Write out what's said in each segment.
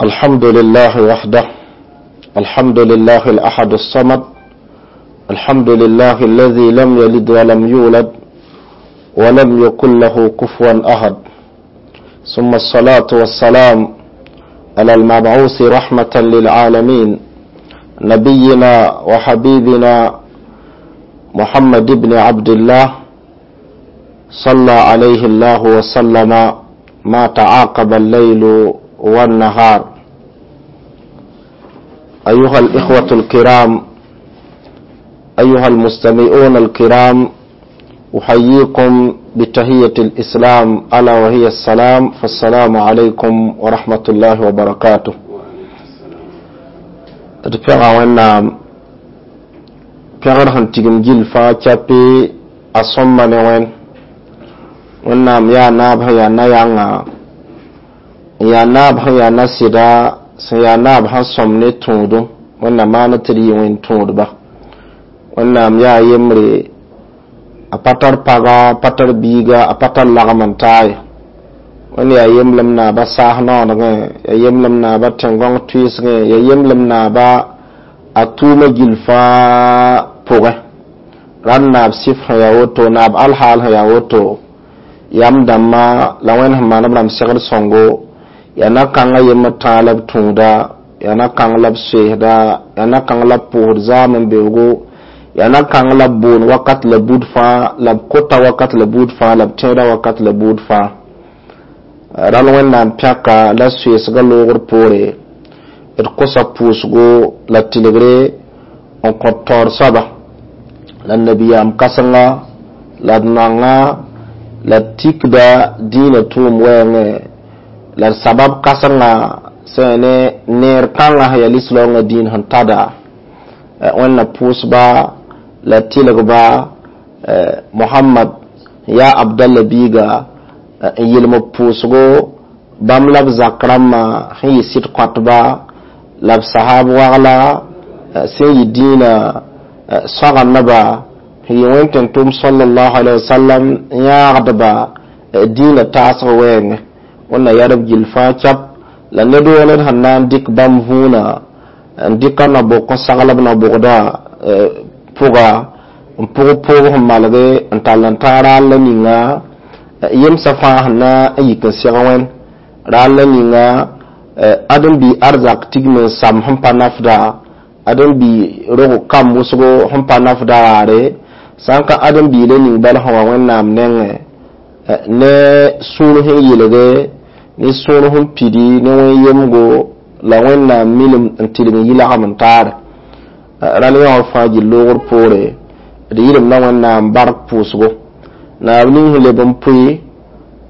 الحمد لله وحده، الحمد لله الأحد الصمد، الحمد لله الذي لم يلد ولم يولد ولم يكن له كفوا أحد. ثم الصلاة والسلام على المبعوث رحمة للعالمين، نبينا وحبيبنا محمد بن عبد الله، صلى عليه الله وسلم ما تعاقب الليل والنهار. أيها الإخوة الكرام، أيها المستمعون الكرام، أحييكم بتحية الإسلام ألا وهي السلام، فالسلام عليكم ورحمة الله وبركاته. D pẽga Wẽnnaam pẽgr sẽn tigim gill fãa kyape a sõmba ne wẽn. Wẽnnaam yaa naab sẽn yaa na-yãnga, n yaa naab sẽn yaa na-sɩda, sẽn yaa naab sẽn sõm ne tũudum. Wẽnnaam maan tɩ d yɩ wẽn tũudba. Wẽnnaam yaa yembre, a pa tar paga, a pa tar biiga, a pa tar lagem n taa ye. Wẽnd yaa yemblem naaba saas noonegẽ, yaa yemblem naaba tẽn-gõng tʋɩɩsgẽ, yaa yemblem naaba a tʋʋma gill fãa pʋgẽ. Rãnd naab sɩf sẽn yaa woto, naab alhaal sẽn yaa woto, yam dãmbã la Wẽnd sẽn maan b rãmb segd sõngo, yaa na-kãngã yembr tãag la b tũuda, yaa na-kãng la b soeesda, yaa na-kãng la b pʋʋsd zaam n beoogo, yaa na-kãng la b boond wakat la buud fãa, la b kota wakat la buud fãa, la b tẽeda wakat la buud fãa. Rãl Wẽnnaam pẽka la soeesgã loogr poore, d kosa pʋʋsgo la tɩlgre n kõt taoor soaba la nabiyaam kãsenga la d nanga la d tikda dĩinã tʋʋm wɛɛngẽ la d sabab kãsenga sẽn ne neer kãngã sẽn yaa lislaoongã dĩin sẽn tada. Wẽnna pʋʋsba la tɩlgba Mohamad yaa Abdalla biiga n yelm b pʋʋsgo bãmb la b zak rãmbã sẽn yɩ sɩd kõtba la b sahab wagla sẽn yɩ dĩinã sõgendba sẽn yɩ wẽn-tẽn-tʋm sallallahu alaihi wasallam n yãagdba dĩinã taasg wɛɛngẽ. Wẽnna yɛd b gill fãa kɛp la ned woo ned sẽn na n dɩk bãmb vũunã n dɩka na-bʋk n sagl b na-bʋgda pʋga n pʋg pʋʋg sẽn malge n tall n tãag raal la ninga yemsã fãa sẽn na n yik n seg wẽn raal la ninga ãdem-bi arzak tigm n sam sẽn pa nafda, ãdem-bi rog kam wʋsgo sẽn pa nafda raare, sã n ka ãdem-bi la ning bala sẽn wa Wẽnnaam nengẽ ne sũur sẽn yelge, ne sũur sẽn pidi ne wẽn-yemgo la Wẽnnaam milim n tɩlg n yi lagem n taare. Rãl yã wã fãa gill loogr poore d yɩlemda Wẽnnaam bark pʋʋsgo naab ning sẽn leb n pʋɩ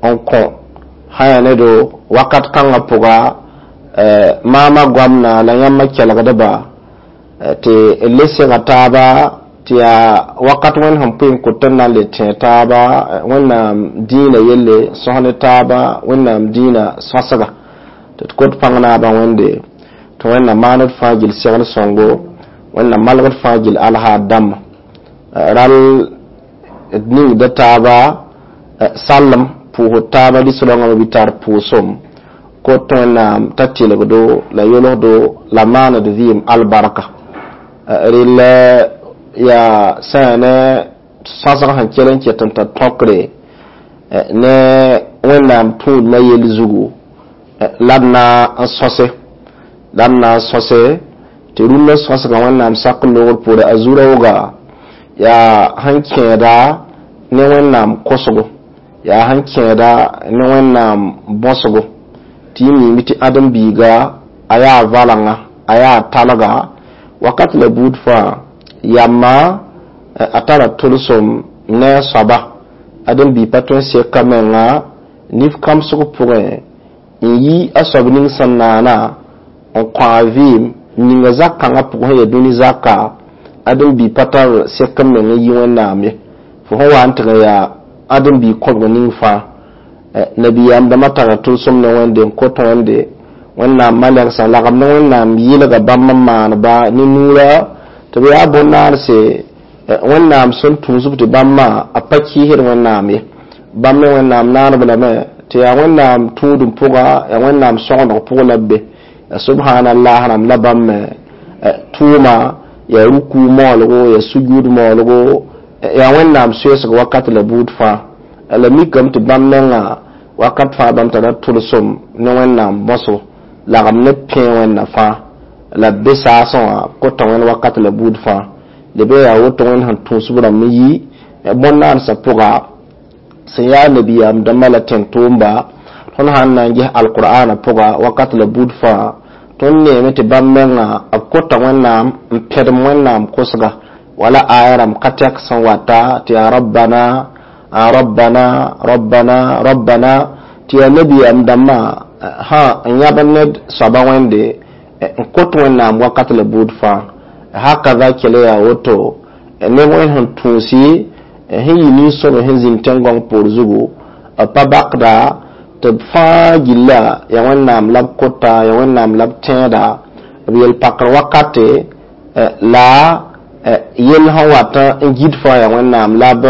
n kõ sã yaa ne do wakat kãngã pʋga maama goamna la yãmba kelgdba tɩ d le sega taaba tɩ yaa wakat Wẽnd sẽn pʋɩ n kot tɩ d na n le tẽ taaba Wẽnnaam dĩinã yelle, sõs ne taaba Wẽnnaam dĩinã sõsga tɩ d kot pãng naabã Wẽnde tɩ Wẽnnaam maan d fãa gill segl sõngo, Wẽnnaam malgd fãa gill alhaad dãmbã. Rãl d ningda taaba sallem pʋʋsd taaba lislaoongã bɩ tar pʋʋsem kot Wẽnnaam t'a tɩlgdo la yolsdo la maand vɩɩm albarka. Rel yaa sã yaa ne sõsg sẽn kell n ket n tar tõkre ne Wẽnnaam tũudmã yell zugu la d na n sõse, la d na n sõse tɩ rũndã sõsgã Wẽnnaam sak n loogr poore a zu-raooga yaa sẽn kẽeda ne Wẽnnaam kosgo, yaa sẽn kẽeda ne Wẽnnaam bõsgo tɩ y miime tɩ ãdem-biiga a yaa valengã, a yaa talga wakat la buud fãa yamma a tara tʋlsem ne a soaba. Ãdem-biig pa tõe n seka menga nif kãmsg pʋgẽ n yi a soab ning sẽn naana n kõ a vɩɩm ninga zak-kãngã pʋgẽ sẽn yaa dũni zaka. Ãdem-biig pa tar sek n meng n yi Wẽnnaam ye. Fo sẽn wa n tɩg n yaa ãdem-biig kõbg ning fãa nabiyaam dãmbã tara tʋlsem ne Wẽnde n kot Wẽnde. Wẽnnaam malɛgsã lagem ne Wẽnnaam yɩlga bãmb n maanba ne nuurã tɩ b yaa bõn-naanse Wẽnnaam sẽn tũusb tɩ bãmbã a pa kɩɩsd Wẽnnaam ye. Bãmb me Wẽnnaam naanb lame tɩ yaa Wẽnnaam tũudum pʋga, yaa Wẽnnaam sõgendg pʋg la b be. Subhanallah rãmb la bãmb me tʋʋma yaa ruku moolgo, yaa sujud moolgo, yaa Wẽnnaam soeesg wakat la buud fãa. La mikame tɩ bãmb menga wakat fãa bãmb tara tʋlsem ne Wẽnnaam bõsgo, lagem ne pẽ Wẽnna fãa la b be saasẽ wã kota Wẽnd wakat la buud fãa. Lebe yaa woto Wẽnd sẽn tũus b rãmb n yi bõn-naansã pʋga sẽn yaa nabiyaam dãmbã la tẽn-tʋʋmba. Tõnd sãn na n ges alqur'ana pʋga wakat la buud fãa, tõnd neeme tɩ bãmb menga b kota Wẽnnaam n pẽdem Wẽnnaam kosga, wala aya rãmb ka tɛk sẽn wata tɩ yaa rabbana, rabbana, rabbana, rabbana, tɩ yaa nabiyaam dãmbã sã n yãb ned soaba Wẽnde n kot Wẽnnaam wakat la buud fãa. Hakaza kele yaa woto neb Wẽnd sẽn tũusi sẽn yi nin-sõme sẽn zĩnd tẽn-gõng poor zugu pa bakda tɩ b fãa gilla yaa Wẽnnaam la b kota, yaa Wẽnnaam la b tẽeda b yel-pakr wakate la yell sẽn wat n gid fãa yaa Wẽnnaam la b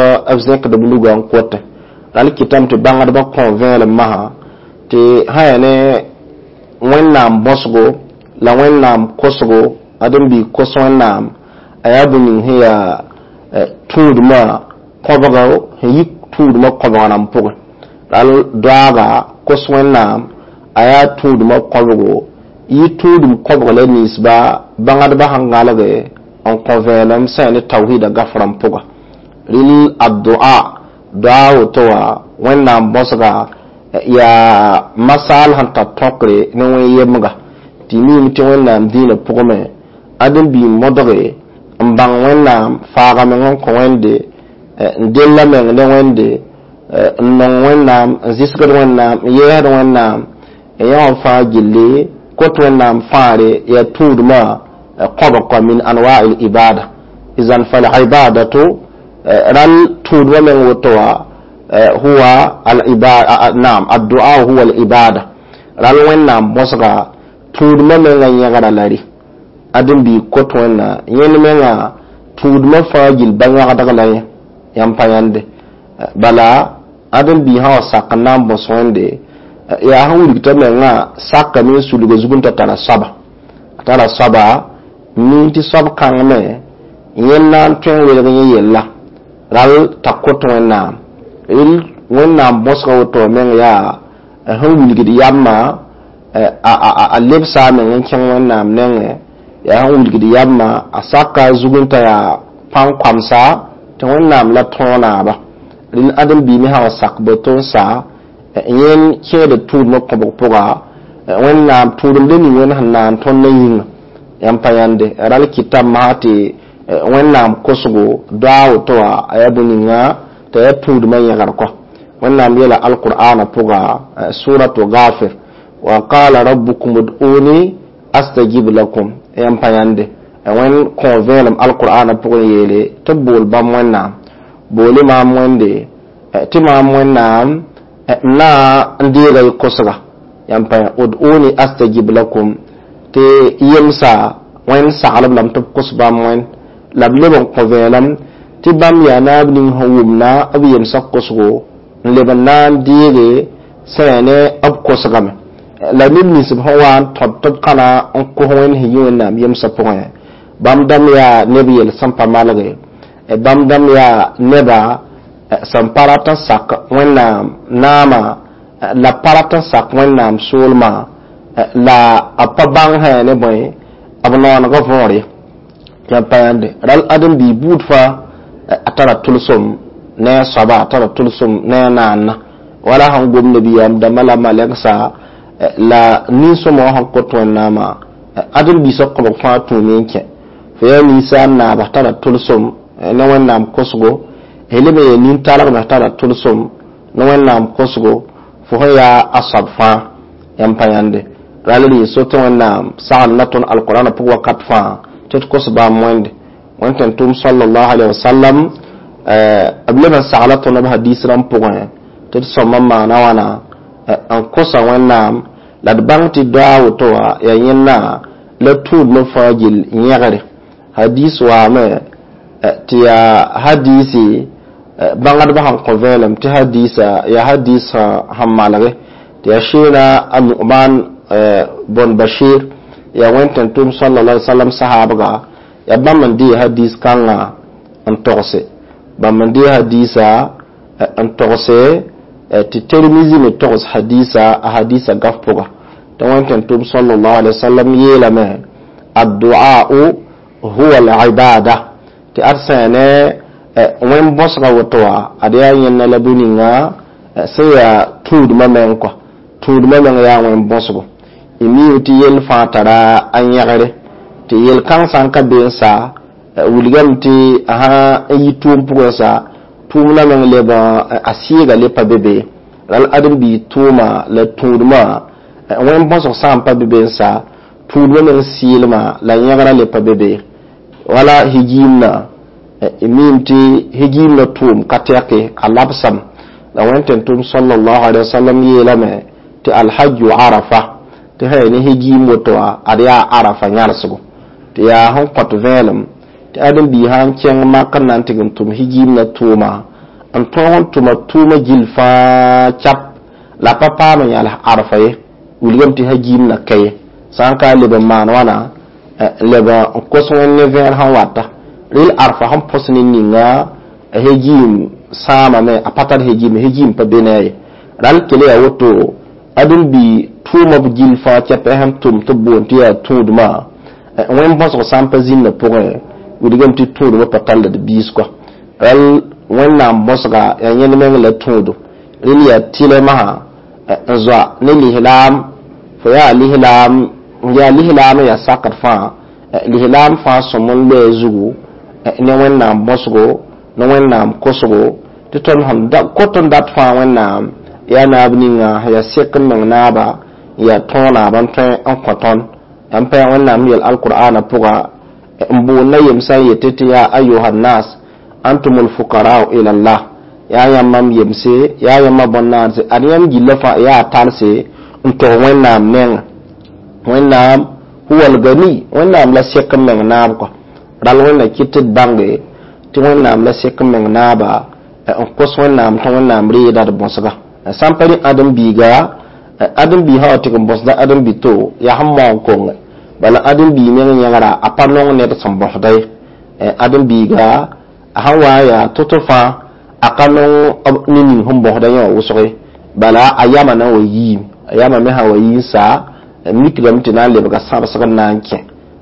zẽkd b lugã n kote. Ral kɩtame tɩ bãngdbã kõ vẽelem masã tɩ sã yaa ne Wẽnnaam bõsgo la Wẽnnaam kosgo, ãdem-biig kos Wẽnnaam a yaa bõe ning sẽn yaa tũudmã kõbgo sẽn yi tũudmã kõbg rãmb pʋgẽ. Ral doaaga kos Wẽnnaam a yaa tũudmã kõbgo yi tũudum kõbg la ninsba bãngdbã sẽn gãlge n kõ vẽenem sã yaa ne tawhida gaf rãmb pʋga. Rɩl addua doa woto wã Wẽnnaam bõsga yaa masaal sẽn tar tõkre ne wẽn-yemga tɩ miime tɩ Wẽnnaam dĩinã pʋgẽ ãdem-biig modge n bãng Wẽnnaam faaga meng n kõ Wẽnde, n della meng ne Wẽnde, n nong Wẽnnaam, n zɩsgd Wẽnnaam, n yɛɛsd Wẽnnaam n yã wã fãa gilli kot Wẽnnaam fãare yaa tũudmã kõbg kɔ min anwa l ibada. Izan fal ibadatu ral tũudmã meng woto wã huwa al ibada, naam, addua huwa al ibada. Ral Wẽnnaam bõsga tũudmã menga yẽgra la rɩ ãdem-biig kot Wẽnna yẽnd menga tũudmã fãa gill ba-yõgdg la yẽ yãmb pa yãnde. Bala ãdem-biig sã wa sak n na n bõs Wẽnde yaa sẽn wilg t'a mengã sakame n sulga zug n ta tara soaba, a tara soaba min tɩ soab kãng me yẽnd na n tõe n welg yẽ yella ral t'a kot Wẽnnaam. Wẽnnaam bõsga woto meng yaa sẽn wilgd yamma a lebsa a meng n kẽng Wẽnnaam nengẽ, yaa sẽn wilgd yamma a saka zug n t'a yaa pãn-koamsa tɩ Wẽnnaam la tõog naaba. Rẽnd ãdem-biig me sã wa sak boto n sa yẽnd kẽeda tũudmã kõbg pʋga Wẽnnaam tũudemda ning Wẽnd sẽn naan tõnd yĩnga yãmb pa yãnde. Ral kɩtame masã tɩ Wẽnnaam kosgo doa woto wã a yaa bõe ninga t'a yaa tũudmã yẽgr kɔ. Wẽnnaam yeela alqur'ana pʋga suratu Gafir: wa qala rabbukum ud'uni astajib lakum. Yãmb pa yãnde. Wẽnd kõ vẽelem alqur'ana pʋgẽ yeele tɩ b bool bãmb Wẽnnaam boole maam Wẽnde tɩ maam Wẽnnaam n na n deega y kosga. Yãmb pa ud'uni astajib lakum tɩ yemsa Wẽnd saglb lame tɩ b kos bãmb Wẽnd la b leb n kõ vẽelem tɩ bãmb yaa naab ning sẽn wʋmna b yemsã kosgo n leb n na n deege sã yaa ne b kosgame. La neb nins b sẽn wa n tõd tɩ b kãna n kos Wẽnd sẽn yi Wẽnnaam yemsã pʋgẽ, bãmb dãmb yaa neb yel sẽn pa malge, bãmb dãmb yaa neba sẽn pa rat n sak Wẽnnaam naama la pa rat n sak Wẽnnaam soolmã la b pa bãng sã ne bõe b noonegã võor ye. Yãmb pa yãnde. Ral ãdem-biig buud fãa a tara tʋlsem ne a soaba, a tara tʋlsem ne a naanna, wala sẽn gom nabiyaam dãmbã la malɛgsa la nin-sõma wã sẽn kot Wẽnnaamã ãdem-biisã kõbg fãa tũume n kẽ. Fo yaa ninsaal naaba tara tʋlsem ne Wẽnnaam kosgo, leb n yaa nin-talgmã tara tʋlsem ne Wẽnnaam kosgo, fo sẽn yaa a soab fãa. Yãmb pa yãnde. Ral rɩ so tɩ Wẽnnaam sagl na tõnd alqur'ana pʋg wakat fãa tɩ d kos bãmb Wẽnde. Wẽnd tẽn-tʋʋm sallallahu alaihi wasallam b leb n sagla tõnd b hadis rãmb pʋgẽ tɩ d sõma n maana wãna n kosa Wẽnnaam la d bãng tɩ doa woto wã yaa yẽnna la tũudmã fãa gill yẽgre. Hadis waame tɩ yaa hadisi bãngdbã sẽn kõ vẽelem tɩ hadisa yaa hadis sẽn malge tɩ yaa sheena a Nu'man bon Bashir. Yaa wẽn tẽn-tʋʋm sallallahu alaihi wasallam sahaabga, yaa bãmb n dee hadis kãngã n togse, bãmb n dee hadisa n togse tɩ Termizi me togs hadisa, a hadisa gaf pʋga, tɩ wẽn tẽn-tʋʋm sallallahu alaihi wasallam yeelame: addu'a'u huwa al-ibada. Tɩ ad sã ne wẽn bõsga woto wã, ad yaa yẽnna la bũ-ninga sẽn yaa tũudmã meng kɔa, tũudmã meng yaa wẽn bõsgo. Y miime tɩ yell fãa tara a yẽgre, tɩ yel-kãng sã n ka be n sa, wilgame tɩ a sã n yi tʋʋm pʋgẽ sa, tʋʋmdã meng leb a sɩɩga le pa be be. Ral ãdem-biig tʋʋma la tũudmã, wẽn bõsg sã n pa be be n sa, tũudmã meng sɩɩlmã la yẽgrã le pa be be. Wala higiimna, y miime tɩ higiimna tʋʋm ka tɛke, a labsam. La wẽn tẽn-tʋʋm sallallahu alaihi wasallam yeelame tɩ alhajju arafa, tɩ sã ya ne higiim woto wã, ad yaa arafa yãlsgo, tɩ yaa sẽn kõt vẽelem tɩ ãdem-biig sã n kẽng mak n na n tɩg n tʋm higiimna tʋʋma, n tõog n tʋma tʋʋma gill fãa cap, la pa paam n yãls arfa ye, wilgame tɩ hagiimna ka ye. Sã n ka leb n maan wãna, leb n kos Wẽnd ne vẽer sẽn wata rel arfa sẽn põs ne ninga hegiim sãamame, a pa tar hegiim, hegiim pa be ne a ye. Ral kele yaa woto, ãdem-bi tʋʋma b gill fãa kɛpɛ sẽn tʋm tɩ b boond tɩ yaa tũudmã, wẽn bõsg sã n pa zĩnda pʋgẽ, wilgame tɩ tũudmã pa tall d biis kɔa. Ral Wẽnnaam bõsga yaa yẽnd meng la tũudo. Rel yaa tɩlɛ masã n zoa ne lislaam, fo yaa lislaam, yaa lislaam n yaa sakd fãa, lislaam fãa sõm n loe zugu ne Wẽnnaam bõsgo, ne Wẽnnaam kosgo, tɩ tõnd sẽn kot n dat fãa Wẽnnaam yaa naab ninga sẽn yaa sek n meng naaba, n yaa tõog naab n tõe n kõ tõnd. N pa yaa Wẽnnaam yel alqur'ana pʋga n boond na yemsã n yetɩ tɩ yaa ayuha nnas antum lfukarau ila llah, yaa yãmb m yemse, yaa yãmba bõn-naanse, ad yãmb gilla fãa yaa talse n tog Wẽnnaam nenga. Wẽnnaam huwa lgani, Wẽnnaam la sek n meng naab kɔa. Ral Wẽnna kɩt tɩ d bãnge tɩ Wẽnnaam la sek n meng naaba n kos Wẽnnaam tɩ Wẽnnaam reeda d bõsga. Sã n pa rẽ ãdem-biiga, ãdem-biig sã wa tɩg n bõsda ãdem-bi-to, yaa sẽn maoong konge bala ãdem-biig meng yẽgra, a pa nong ned sẽn bõsda ye. Ãdem-biiga a sãn wa n yaa to-to fãa, a ka nong ne ning sẽn bõsda yẽ wã wʋsg ye, bala a yama na n wa yiime, a yama me sã n wa yi n sa, mikdame tɩ na n lebga sãbsg n na n kẽ.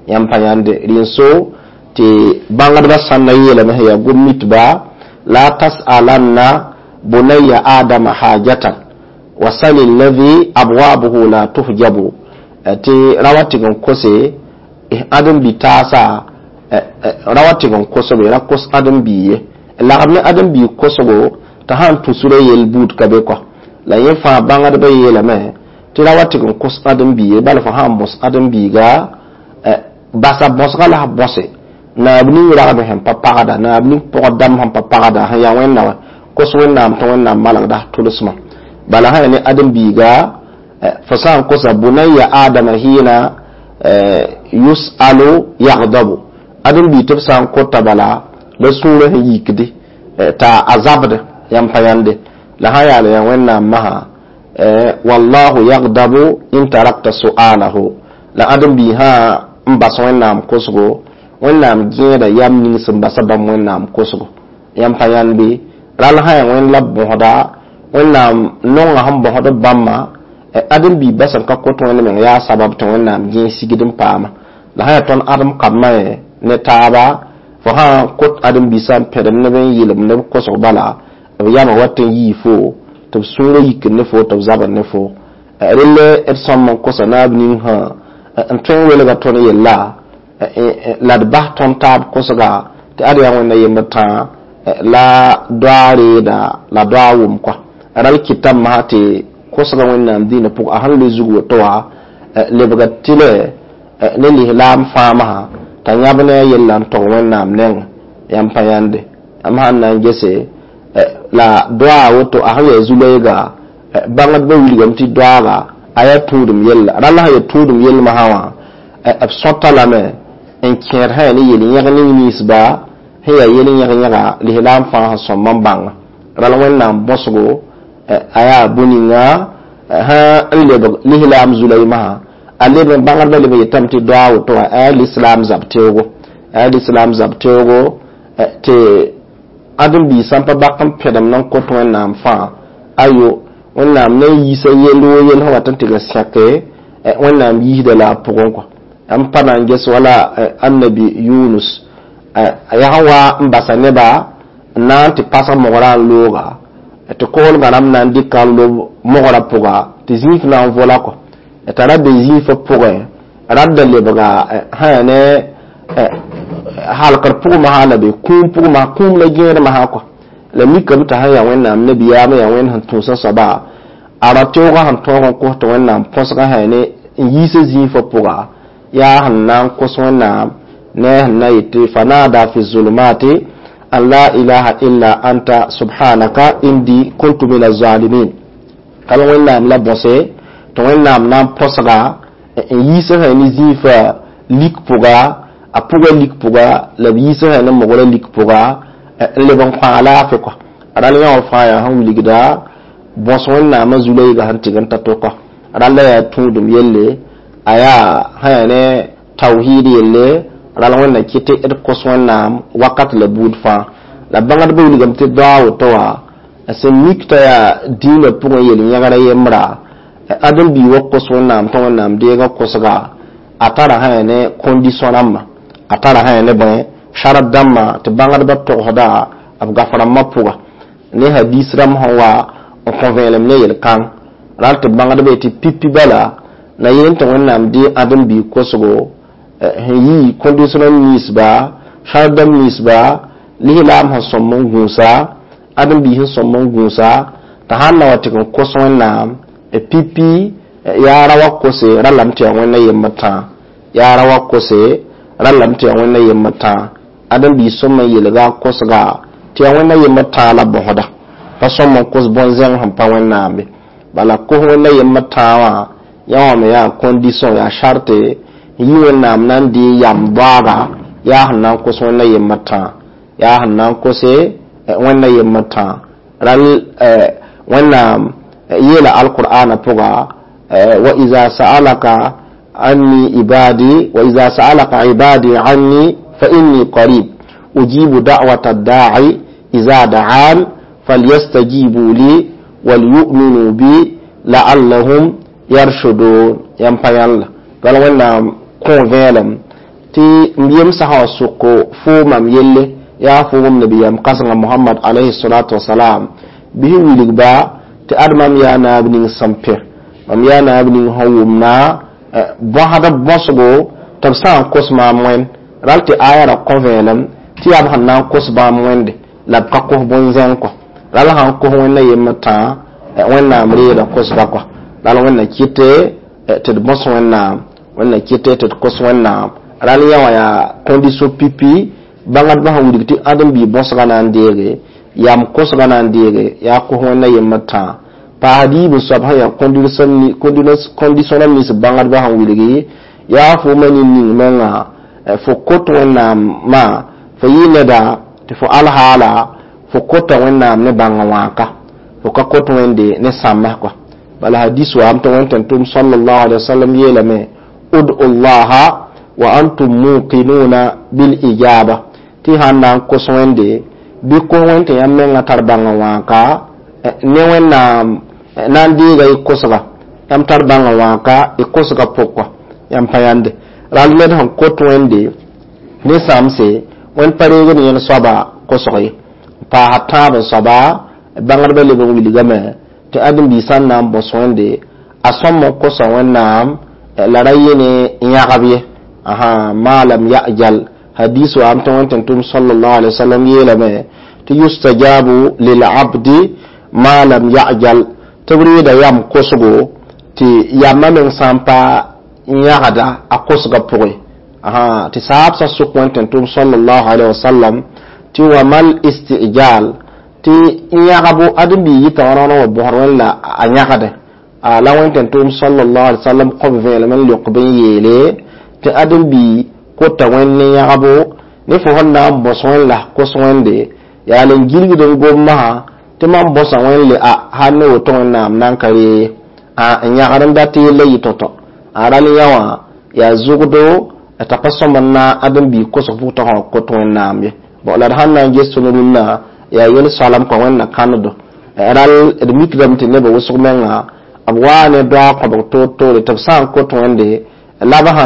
Yãmb pa yãnde rẽn so tɩ bãngdbã sãnda yeelame sẽn yaa gom-mitba: la tas'alanna bunayya adama hajatan wasali alladhi abwabuhu la tuhjabu. Tɩ ra wa tɩg n kose ãdem-bi taasa, ra wa tɩg n kosbe, ra kos ãdem-bi ye, lagm ne ãdem-bi kosgo t'a sãn tũ sura yel buud ka be kɔ. La yẽ fãa bãngdbã yeelame tɩ ra wa tɩg n kos ãdem-bi ye, bala fo sãn bõs ãdem-biiga, basa bõsga la f bõse naab ning ragme sẽn pa pagda, naab ning pʋgd dãmb sẽn pa pagda, sẽn yaa Wẽnna wã, kos Wẽnnaam tɩ Wẽnnaam malgda f tʋlsmã. Bala sã ya ne ãdem-biiga, fo sã n kosa bunayya adama hina yus'alu yagdabu, ãdem-biig tɩ b sã n kota bala la sũurã sẽn yikde t'a a zabd. Yãmb pa yãnde, la sã yaa la yaa Wẽnnaam masã, wallahu yagdabu in tarakta su'alahu. La ãdem-biig sã n bas Wẽnnaam kosgo, Wẽnnaam gẽeda yam ning sẽn basa bãmb Wẽnnaam kosgo. Yãmb pa yãnd bɩ? Ral sã yaa Wẽnd la b bõsda, Wẽnnaam nonga sẽn bõsd b bãmba, ãdem-biig bas n ka kot Wẽnd meng yaa sabab tɩ Wẽnnaam gẽe sigd n paama. La sã yaa tõnd ãdem kambã ye ne taaba, fo sã n kot ãdem-biisã n pẽdem neb n yɩlem ne b kosg, bala b yama wat n yii fo tɩ b sũurã yikd ne fo, tɩ b zabd ne fo. Relle d sõm n kosa naab ning sã n tõe n welga tõnd yella, la d bas tõnd taab kosga, tɩ ad yaa Wẽnna yembr tãa la doa reeda la doa wʋm kɔa. Ral kɩtame masã tɩ kosga Wẽnnaam dĩinã pʋgã, a sẽn loe zug woto wã lebga tɩlɛ ne lislaam fãa masã t'a yãb ne a yella n tog Wẽnnaam neng. Yãmb pa yãnde? Am sãn na n gese la doa woto, a sẽn yaa zu-loeega, bãngdbã wilgame tɩ doaaga a yaa tũudum yella. Rall sã yaa tũudum yell masã wã, b sõta lame n kẽed sã yaa ne yel-yẽg ning ninsba sẽn yaa yel-yẽg-yẽga lislaam fãa sẽn sõm n bãnga. Rall Wẽnnaam bõsgo a yaa bũ-ninga sã n lebg lislaam zu-loe masã, A leb n bãngdbã leb n yetame tɩ doa a woto wã a lislaam zab teoogo, a lislaam zab teoogo tɩ ãdem-biig sã n pa bak n pẽdem n kot Wẽnnaam fãa, ayo, Wẽnnaam na n yiisa yell wo yell sẽn wat n tɩg n sẽke, Wẽnnaam yiisda la a pʋgẽ kɔ. M pa na n ges wala annabi Yunus a yaa sẽn wa n basa neba n na n tɩ pasg mogrã n looga tɩ koglgã rãmb na n dɩka n lob mogrã pʋga tɩ zĩif na n vola kɔ t'a ra be zĩifã pʋgẽ radda lebga sã yaa ne halkr pʋgẽ masã la be kũum pʋgẽ masã, kũum la gẽed masã kɔ. La mikame t'a sẽn yaa Wẽnnaam nabiyaam, yaa Wẽnd sẽn tũusã soaba, a ra teoogã sẽn tõog n kos tɩ Wẽnnaam põsgã sã yaa ne n yiisa zĩifã pʋga, yaa sẽn na n kos Wẽnnaam ne sẽn na yetɩ fanada fi zulumati an la ilaha illa anta subhanaka indi kuntu min azalimin. Kal Wẽnnaam la bõse tɩ Wẽnnaam na n põsga n yiisa sã ne zĩifã lik pʋga, a pʋga lik pʋga, la b yiisa sã ne mogrã lik pʋga n leb n kõ alaafɩ kɔ. Rãll yã wã fãa yaa sẽn wilgda bõs Wẽnnaamã zu-loeegã sẽn tɩg n ta to kɔ. Rãll la yaa tũudum yelle, a yaa sã yaa ne tawhiid yelle, rãll Wẽnna kɩt tɩ d kos Wẽnnaam wakat la buud fãa. La bãngdbã wilgame tɩ doa a woto wã sẽn mik t'a yaa dĩinã pʋgẽ yel-yẽgra yembra, ãdem-biig wa kos Wẽnnaam tɩ Wẽnnaam deega kosga, a tara sã yaa ne condition rãmbã, a tara sã yaa ne bõe sarat dãmbã tɩ bãngdbã togsda b gaf rãmbã pʋga ne hadis rãmb sẽn wa n kõ vẽelem ne yel-kãng. Rãll tɩ bãngdbã yetɩ pipi bala na yeel tɩ Wẽnnaam dee ãdem-biig kosgo sẽn yi condition ninsba, sarat dãmb ninsba, lislaam sẽn sõm n gũusa, ãdem-biig sẽn sõm n gũusa, t'a sãn na wa tɩg n kos Wẽnnaam pipi yaa ra wa kose ralame tɩ yaa Wẽnna yembr tãa, yaa ra wa kose ralame tɩ yaa Wẽnna yembr tãa. Ãdem-biig sõm n yeelga a kosga tɩ yaa Wẽnna yembr tãa la bõsda, pa sõm n kos bõn-zẽng sẽn pa Wẽnnaam ye. Bala kos Wẽnna yembr tãa wã yã wã me yaa condition, yaa sarte n yi Wẽnnaam na n dee yam doaaga, yaa sẽn na n kos Wẽnna yembr tãa, yaa sẽn na n kose Wẽnna yembr tãa. Rãll Wẽnnaam yeela alqur'ana pʋga wa iza sa'alaka anni ibadi wa iza sa'alaka ibadi anni fa inni qarib ujibu da'wata ad-da'i iza da'an falyastajibu li walyu'minu bi la'allahum yarshudun. Yãmb pa yãlla bala Wẽnnaam kõ vẽelem tɩ m yemsã sã wa sʋko foo mam yelle, yaa fo wʋm nabiyaam kãsengã Mohamad alayhi salatu wasalam, bɩ sẽn wilgba tɩ ad mam yaa naab ning sẽn pẽ, mam yaa naab ning sẽn wʋmna bõsd bõsgo tɩ b sã n kos maam wẽnd. Rall tɩ aya ra kõ vẽenem tɩ yaa b sẽn na n kos bãmb wẽnde la b ka kos bõn-zẽng kɔ. Rall sã n kos Wẽnna yembr tãa, Wẽnnaam reeda kosba kɔ. Rall Wẽnna kɩte tɩ d bõs Wẽnnaam, Wẽnna kɩte tɩ d kos Wẽnnaam. Rall yã wã yaa condition pipi bãngdbã sẽn wilg tɩ ãdem-biig bõsgã na n deege, yam kosgã na n deege, yaa kos Wẽnna yembr tãa. Paasd yiib n soab sẽn yaa condition rãmb nins bãngdbã sẽn wilgi, yaa fo ma nin-ning menga fo kot Wẽnnaamã, fo yɩ neda tɩ fo alhaala fo kota Wẽnnaam ne bãnga wãaka, fo ka kot Wẽnde ne sãmbs kɔ. Bala hadis waam tɩ Wẽn tẽn-tʋm sallallahu alaihi wasallam yeelame ud'u llaha wa antum muqinuna bil ijaba, tɩ sãn na n kos Wẽnde bɩ kos Wẽnd tɩ yãmb menga tar bãnga wãaka ne Wẽnnaam na n deega y kosga, yãmb tar bãnga wãaka y kosga pʋg kɔ, yãmb pa yãnde. Rall ned sẽn kot Wẽnde ne sãmse, Wẽnd pa reegd yẽl soaba kosg ye. Paasa tãab n soaba bãngdbã leb n wilgame tɩ ãdem-biig sã n na n bõs Wẽnde a sõm n kosa Wẽnnaam la ra yẽ ne yãgb ye, ma lam yajal. Hadis waam tɩ Wẽnd tẽn-tʋm sallallahu alaihi wasallam yeelame tɩ yustajabu lilabdi ma lam yajal, tɩ b reeda yam kosgo tɩ yamã meng sã n pa yãgda a kosgã pʋgẽ. Tɩ saabsã sʋk Wẽnd tẽn-tʋm sallallahu alaihi wasallam tɩ wa mal istijal, tɩ yãgbo ãdem-biig yɩta wã rõor wã bõsd Wẽnd la a yãgde. La Wẽnd tẽn-tʋm sallallahu alaihi wasallam kõb vẽelem n leok b n yeele tɩ ãdem-biig kota Wẽnd ne yãgbo ne fo sẽn na n bõs Wẽnd la kos Wẽnde yaa len gilgd n gom masã tɩ mam bõsa Wẽnd le a sãn ne woto Wẽnnaam na n ka ree n yãgd n dat yella yɩ tõ-tõ. A ral yã wã yaa zugdo t'a pa sõm n na ãdem-biig kosg pʋg t'a kõt Wẽnnaam ye. Bon, la d sãn na n ges tõnd rũnnã, yaa yel-soalem kõ Wẽnna kãneddo. Ral d mikdame tɩ nebã wʋsg menga b waa ne doaag kõbg toor-toore tɩ b sã n kot Wẽnde la b sã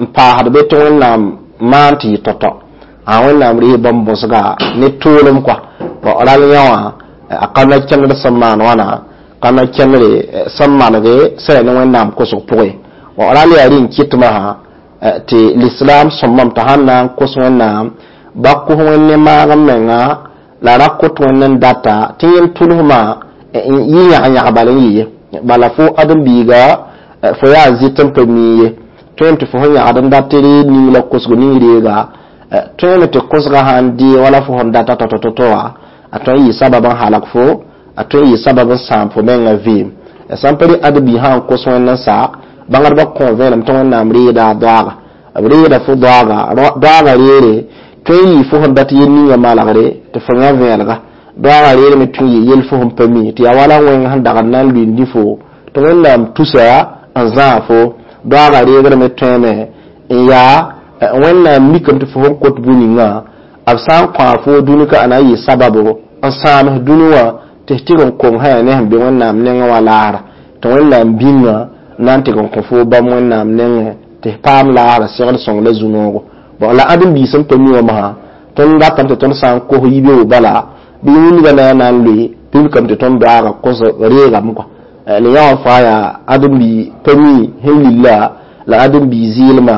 n paasd be tɩ Wẽnnaam maan tɩ yɩ tao-tao, a Wẽnnaam rɩɩs bãmb bõsga ne toolem kɔa. Bon, ral yã wã a ka na kẽndr sẽn maan wãna, ka na kẽndre sẽn malge sẽn ya ne Wẽnnaam kosg pʋgẽ. Bon, ral yaa rẽ n kɩt masã tɩ lislaam sõmbame t'a sãn na n kos Wẽnnaam, ba kos Wẽnd ne maag n menga, la ra kot Wẽnd n data tɩ yẽnd tʋlsmã n yɩ yãg-yãg bal n yɩ ye. Bala fo ãdem-biiga fo yaa zɩt n pa mi ye, tõem tɩ fo sẽn yãgd n dat tɩ reeg ning la kosg ning reega, tõeme tɩ kosgã sãn dee wala fo sẽn data tao-tao-tao wã, a tõe n yɩ sabab n halg fo, a tõe n yɩ sabab n sãam fo menga vɩɩm. Sãn pa rɩ ãdem-biig sã n kos Wẽnd n sa, bãngdbã kõ vẽenem tɩ Wẽnnaam reeda a doaaga, b reeda fo doaaga, doaaga reere tõe n yɩ fo sẽn dat yel ninga malgre tɩ fo yã vẽelga. Doaaga reere me tõe n yɩ yel fo sẽn pa mi tɩ yaa wala wẽng sẽn dag n na n luindi fo tɩ Wẽnnaam tusa n zãag fo. Doaaga reegr me tõeme n yaa Wẽnnaam mikame tɩ fo sẽn kot bũ-ningã, b sã n kõa fo dũni ka a na n yɩ sababo n sãams dũni wã tɩ f tɩg n kong sã yaa ne sẽn be Wẽnnaam nengẽ wã laasra, tɩ Wẽnnaam bĩnga na n tɩg n kõ fo bãmb Wẽnnaam nengẽ tɩ f paam laasra segd sõng la zu-noogo. Bon, la ãdem-biis sẽn pa mi wã masã, tõnd datame tɩ tõnd sã n kos yibeoog bala bɩ wilga na na n loe bɩ mikame tɩ tõnd doaaga kos reegame kɔa. La yã wã fãa yaa ãdem-bi pa mi sẽn lilla la ãdem-bi zɩɩlmã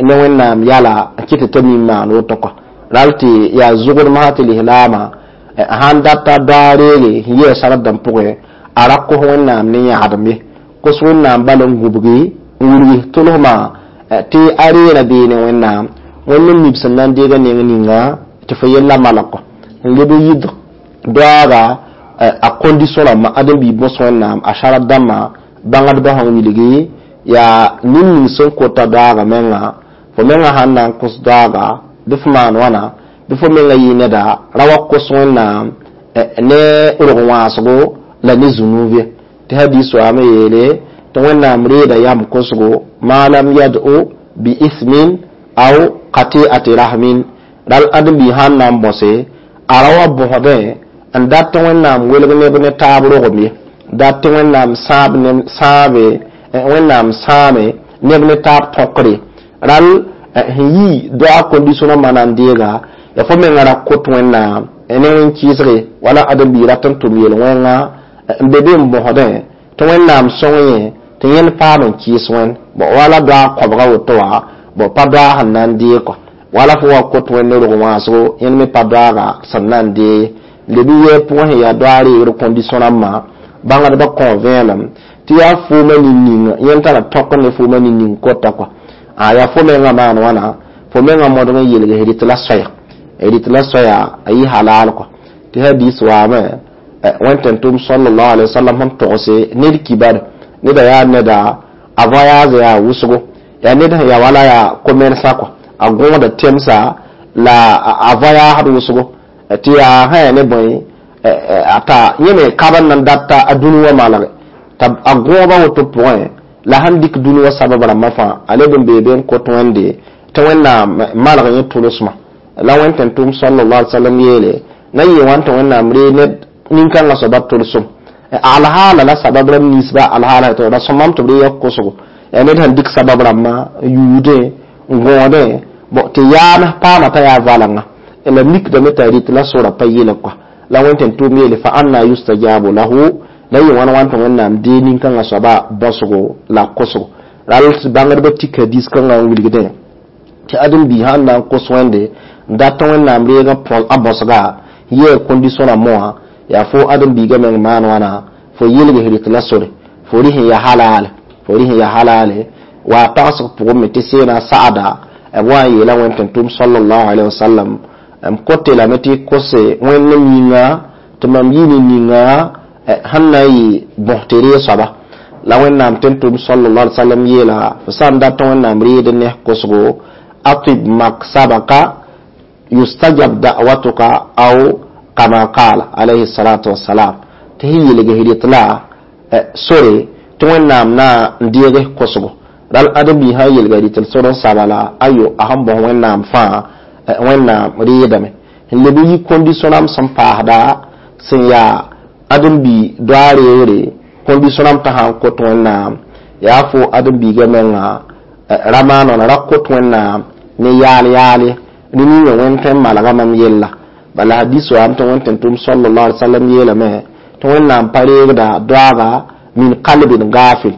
ne Wẽnnaam yala n kɩt t'a mi n maan woto kɔa. Ral tɩ yaa zʋgd masã tɩ lislaamã sãn data doaag reege sẽn yɩa sard dãmb pʋgẽ, a ra kos Wẽnnaam ne yãgdem ye, kos Wẽnnaam bal n gũbgi n wilg tʋlsmã tɩ a reera bee ne Wẽnnaam Wẽnd n mib sẽn na n deega neng ninga tɩ fo yella malg kɔ n leb n yid doaaga a condition rãmbã. Ãdem-biig bõs Wẽnnaam a sard dãmbã bãngdbã sẽn wilgi yaa nin-ning sẽn kota doaaga menga, fo menga sãn na n kos doaaga bɩ fo maan wãna, bɩ fo menga yɩ neda ra wa kos Wẽnnaam ne rog wãasgo la ne zũnuub ye. Tɩ hadiis waame yeele tɩ Wẽnnaam reeda yam kosgo ma lam yad'u bi ismin aw qati'ati rahmin. Ral ãdem-biig sãn na n bõse, a ra wa bõsdẽ n dat tɩ Wẽnnaam welg neb ne taab rogem ye, dat tɩ Wẽnnaam sãab sãabe Wẽnnaam sãame neb ne taab tõkre. Ral sẽn yi doaag condition rãmbã na n deega, yaa fo menga ra kot Wẽnnaam ne wẽn-kɩɩsge wala ãdem-biig rat n tʋm yel-wẽnga n be be n bõsdẽ tɩ Wẽnnaam sõng yẽ tɩ yẽnd paam n kɩɩs Wẽnd. Bon, wala doaag kõbga woto wã, bon, pa doaag sẽn na n deeg kɔ, wala fo wa kot Wẽnd ne rog wãasgo, yẽnd me pa doaaga sẽn na n deeg. Leb n yɛɛ pʋgẽ sẽn yaa doaag reegr condition rãmbã, bãngdbã kõ vẽenem tɩ yaa foomã nin-ning yẽnd tara tõk ne foomã nin-ning kota kɔa. A yaa fo menga maan wãna, fo menga modg n yelg rɩt la soaya, rɩt la soaya a yɩ halal kɔa. Tɩ hadis waame Wẽnd tẽn-tʋm sallallahu alaihi wasallam sẽn togse ned kibar neda yaa neda a voyage yaa wʋsgo, yaa ned sẽn yaa wala yaa commerçant kɔa, a gõoda temsa la a voyage wʋsgo tɩ yaa sã yaa ne bõe t'a yẽ me kab n na n data a dũni wã malge t'a a gõoba woto pʋgẽ la sãn dɩk dũni wã sabab rãmbã fãa a leb n bee be n kot Wẽnde tɩ Wẽnnaam malg yẽ tʋlsmã. La Wẽnd tẽn-tʋm sallallahu alaihi wasallam yeele na n yɩ wãn tɩ Wẽnnaam ree ned nin-kãngã soaba tʋlsem alhaala la sabab rãmb ninsba alhaala tɩ ra sõmame tɩ b ree ya kosgo, yaa ned sẽn dɩk sabab rãmbã n yuudẽ n gõodẽ, bon, tɩ yaam paama t'a yaa valenga la mikdame t'a rɩt la sora pa yɩlg kɔa. La Wẽnd tẽn-tʋʋm yeele fa anna yustajabu lahu, la yɩ wãn wãn tɩ Wẽnnaam dee nin-kãngã soaba bõsgo la kosgo. Ral tɩ bãngdbã tik hadis kãngã n wilgdẽ tɩ ãdem-biig sãn na n kos Wẽnde n dat tɩ Wẽnnaam reeg a bõsga yɛɛ condition rãmbã wã, yaa fo ãdem-biigã meng maan wãna fo yelg rɩt la sore fo rɩ sẽn yaa halal, fo rɩ sẽn yaa halale wa tagsg pʋgẽ me tɩ seena saada b wa n yeela Wẽnd tẽn-tʋm sallallahu alaihi wasallam m kote lame tɩ kose Wẽnd yĩnga tɩ mam yɩ ne ninga sẽn na n yɩ bõs tɩ ree soaba. La Wẽnnaam tẽn-tʋm sallallahu alaihi wasallam yeela fo sã n dat tɩ Wẽnnaam reed ne kosgo atib maksabaka yustajab da'watuka aw kama qala alayhi salatu wassalam, tɩ sẽn yelg rɩt la sore tɩ Wẽnnaam na n deeg kosgo. Ral ãdem-biig sã n yelga rɩtl sor n saba la ayo, a sẽn bõs Wẽnnaam fãa Wẽnnaam reedame. N leb n yi kondisõ rãmb sẽn paasda sẽn yaa ãdem-bi doa reegre, kondisõ rãmb t'a sã n kot Wẽnnaam, yaa fo ãdem-biigã menga ra maan wãna, ra kot Wẽnnaam ne yaal yaale. Rẽ ninga Wẽnd tõe n malga mam yella. Bala hadis waame tɩ Wẽnd tẽn-tʋm sallallahu alaihi wasallam yeelame tɩ Wẽnnaam pa reegda doaaga min qalbin gafil,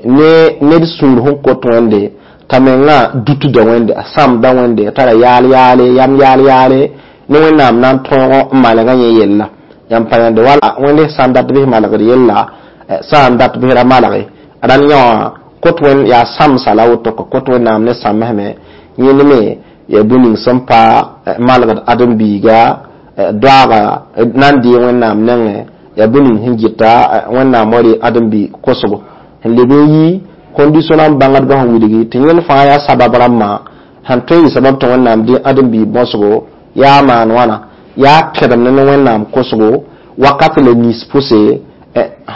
ne ned sũur sẽn kot Wẽnde t'a menga dutda Wẽnde, a sãmda Wẽnde, a tara yaal yaale, yam yaal yaale ne Wẽnnaam na n tõog n malga yẽ yella. Yãmb pa yãnde wala Wẽnd sã n dat bɩs malgd yella, sã n dat bɩs ra malge rãnd yã wã kot Wẽnd yaa sãmsa la woto ka kot Wẽnnaam ne sãmsme. Yẽnd me yaa bũmb ning sẽn pa malgd ãdem-biiga doaaga na n dee Wẽnnaam nengẽ, yaa bũmb ning sẽn gɩta Wẽnnaam wa ree ãdem-bi kosgo. N leb n yi kondisõ rãmb bãngdbã sẽn wilgi tɩ yẽnd fãa yaa sabab rãmbã sẽn tõe n yɩ sabab tɩ Wẽnnaam dee ãdem-bi bõsgo, yaa maan wãna, yaa kẽdemd ne Wẽnnaam kosgo wakat la nins pʋse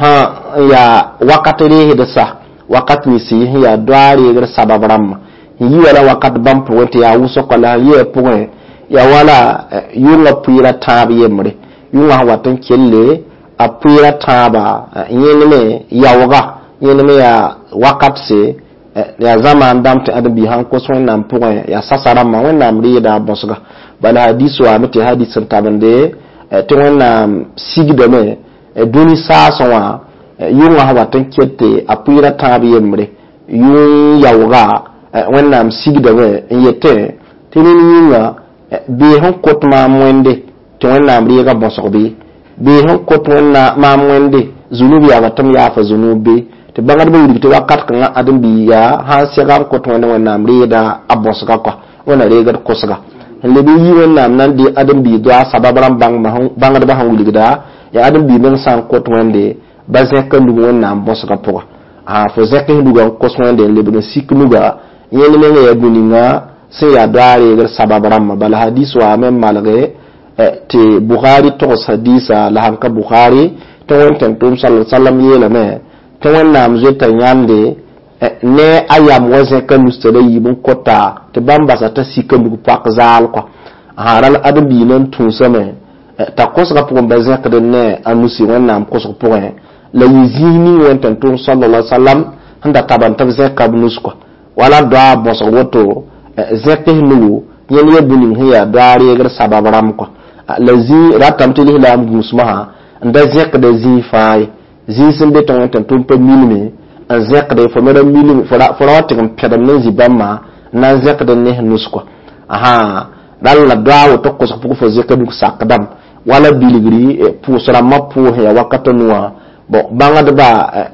sã n yaa wakat reesd sa, wakat nins sẽn yaa doa reegr sabab rãmbã. N yi wala wakat bãmb pʋgẽ tɩ yaa wʋsg la sẽn yɩa pʋgẽ yaa wala yʋngã pʋɩɩra tãab yembre, yʋngã sẽn wat n kelle a pʋɩɩra tãaba. Yẽnd me yaooga, yẽnd me yaa wakat se yaa zamaan dãmb tɩ ãdem-biig sãn kos Wẽnnaam pʋgẽ yaa sasa rãmbã Wẽnnaam reeda a bõsga. Bala hadis waame tɩ hadis sẽn tabende tɩ Wẽnnaam sigdame dũni saasẽ wã yʋngã sẽn wat n kete a pʋɩɩra tãab yembre, yʋng yaooga Wẽnnaam sigdame n yetẽ tɩ ned yĩnga bee sẽn kot maam Wẽnde tɩ Wẽnnaam reega bõsg bɩ, bee sẽn kot maam Wẽnde zunub yaga tɩ m yaafa zunub be. Tɩ bãngdbã wilg tɩ wakat kãngã ãdem-biiga sã n sega n kot Wẽnde, Wẽnnaam reeda a bõsga kɔa, Wẽnna reegd kosga. N leb n yi Wẽnnaam na n dee ãdem-biig doa sabab rãmb bãngdbã sẽn wilgda yaa ãdem-biig meng sã n kot Wẽnde ba zẽka nug Wẽnnaam bõsga pʋga. Fo zẽk s nuga n kos Wẽnde n lebg n sik nuga, yẽnd menga yaa bũ-ninga sẽn yaa doa reegr sabab rãmbã. Bala hadis waame n malge tɩ Bukhari togs hadisa la sãn ka Bukhari tɩ Wẽnd tẽn-tʋʋm sala sallam yeelame tɩ Wẽnnaam zoeta yãnde ne a yam wa zẽka nustã la yiib n kota tɩ bãmb basa t'a sika nug pak zaal kɔa. Ral ãdem-biig na n tũusame t'a kosgã pʋgẽ ba zẽkd ne a nusi Wẽnnaam kosg pʋgẽ la yɩ zĩis ning Wẽnd tẽn-tʋʋm sallallahu alaihi wasallam sẽn da taban tɩ b zẽka b nus kɔa. Wala doa bõsg woto zẽk s nugu, yẽnd yaa bũ-ning sẽn yaa doa reegr sabab rãmb kɔa. La zĩig ratame tɩ lislaam gũusmã n da zẽkda zĩig fãa ye, zĩig sẽn be tɩ Wẽnd tẽn-tʋʋm pa milme n zẽkde fo me ra milm fo ra wa tɩg n pẽdem ne zĩ bãmba n na n zẽkd ne s nus kɔa. Rall la doa woto kosg pʋgẽ fo zẽka nug sakdame wala bilgri pʋʋs rãmbã pʋʋs yaa wakatã nuwã. Bon, bãngdba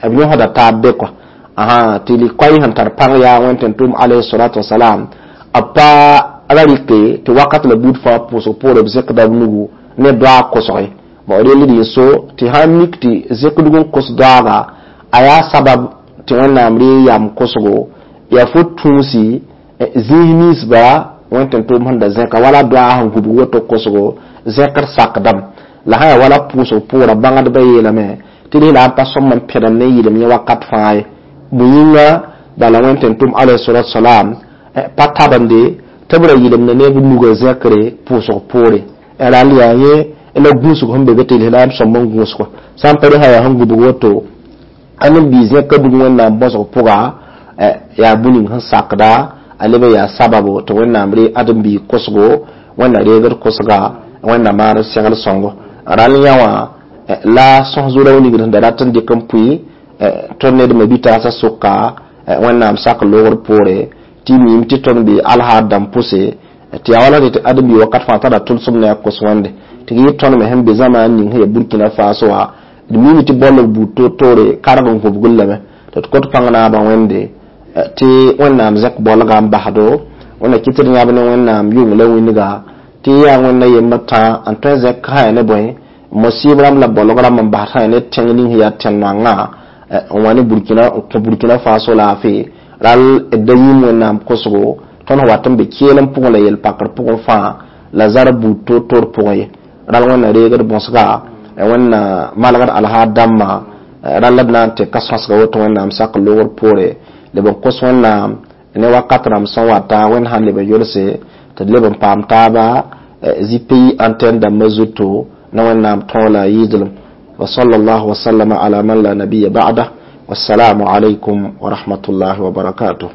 b yõsda taab be kɔa tɩ likoay sẽn tar pãng yaa Wẽnd tẽn-tʋʋm alayhi salatu wasalam b pa ra rɩke tɩ wakat la buud fãa pʋʋsg poore b zẽkda b nugu ne doa kosge. Bon, rell d so tɩ sãn mik tɩ zẽk nug n kos doaaga a yaa sabab tɩ Wẽnnaam ree yam kosgo, yaa fo tũusi zĩis ninsba Wẽnd tẽn-tʋʋm sẽn da zẽka wala doa sẽn gubg woto kosgo zẽkr sakdame la sã yaa wala pʋʋsg pʋʋra. Bãngdbã yeelame tɩ lislaam pa sõm n pẽdem ne yɩlem yẽ wakat fãa ye. Bũ yĩnga bala Wẽnd tẽn-tʋʋm alayhi salatu wasalam pa tabende tɩ b ra yɩlemda ne b nugã zẽkre pʋʋsg poore. Rall yaa yẽ la gũusg sẽn be be tɩ lislaam sõm n gũusg sã n pa re sã yaa sẽn gubg woto ãdem-biig zẽka nug Wẽnnaam bõsg pʋga yaa bũ-ning sẽn sakda a leb n yaa sababo tɩ Wẽnnaam ree ãdem-biig kosgo, Wẽnna reegd kosga, Wẽnna maan segl sõngo. Rall yã wã la sõs zʋra wilgd sẽn da rat n dɩk n pʋɩ tõnd ned me bi-taasã sʋka Wẽnnaam sak loogr poore tɩ miime tɩ tõnd be alhaar dãmb pʋse tɩ yaa wala tɩ ãdem-biig wakat fãa tara tʋlsem ne a kos Wẽnde tɩ yɩ tõnd me sẽn be zamaan ning sẽn yaa Burkina Faso wã d miime tɩ bolg buud toor-toore karg n gũbgl lame tɩ d kõt pãng naabã Wẽnde tɩ Wẽnnaam zẽk bolgã n basdo Wẽnna kɩ tɩ d yãb ne Wẽnnaam yʋng la wĩnga tɩ yaa Wẽnna yembr tã n tõe n zẽk sã yaa ne bõe mosɩɩb rãmb la bolg rãmb n bas sã yaa ne tẽng ning sẽn yaa tẽn-noangã n wa ne Burkina n kõ Burkina Faso laafɩ. Rall d da yĩm Wẽnnaam kosgo tõnd sẽn wat n be keelem pʋgẽ la yel-pakr pʋgẽ fãa la zar buud toor-toor pʋgẽ ye. Rall Wẽnna reegd bõsga, Wẽnna malgd alhaar dãmbã, rall d na n tɩ ka sõsga woto Wẽnnaam sak loogr poore. Leb n kos Wẽnnaam ne wakat rãmb sẽn wata, Wẽnd sãn leb n yolse tɩ d leb n paam taaba ZPI antenne dãmbã zuto ne Wẽnnaam tõog la a yɩɩdlem. Wa sallallahu wa sallama ala man la nabiya ba'da. Wassalamu alaikum wa rahmatullahi wa barakatuh.